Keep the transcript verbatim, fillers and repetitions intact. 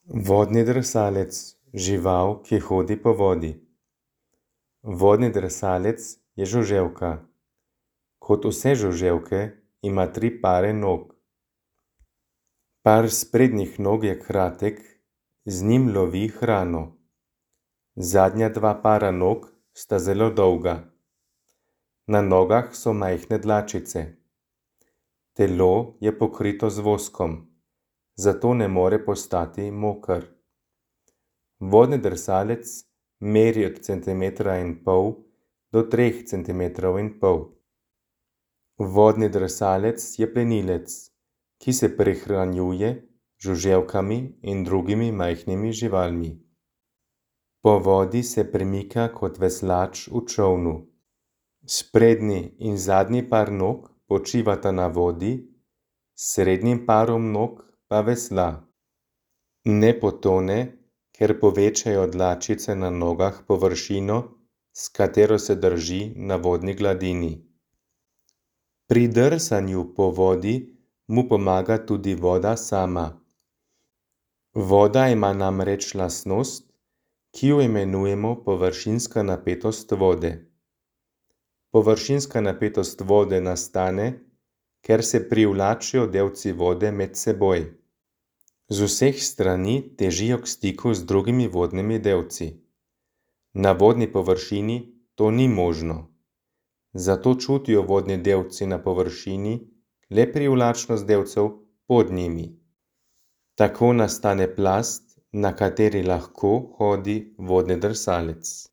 Vodni drsalec, žival, ki hodi po vodi. Vodni drsalec je žuželka. Kot vse žuželke ima tri pare nog. Par sprednjih nog je kratek, z njim lovi hrano. Zadnja dva para nog sta zelo dolga. Na nogah so majhne dlačice. Telo je pokrito z voskom, zato ne more postati moker. Vodni drsalec meri od centimetra in pol do treh centimetrov in pol. Vodni drsalec je plenilec, ki se prehranjuje z žuželkami in drugimi majhnimi živalmi. Po vodi se premika kot veslač v čolnu. Sprednji in zadnji par nog počivata na vodi, s srednjim parom nog pa vesla. Ne potone, ker povečajo dlačice na nogah površino, s katero se drži na vodni gladini. Pri drsanju po vodi mu pomaga tudi voda sama. Voda ima namreč lastnost, ki jo imenujemo površinska napetost vode. Površinska napetost vode nastane, ker se privlačijo delci vode med seboj. Z vseh strani težijo k stiku z drugimi vodnimi delci. Na vodni površini to ni možno. Zato čutijo vodni delci na površini le privlačnost delcev pod njimi. Tako nastane plast, na kateri lahko hodi vodni drsalec.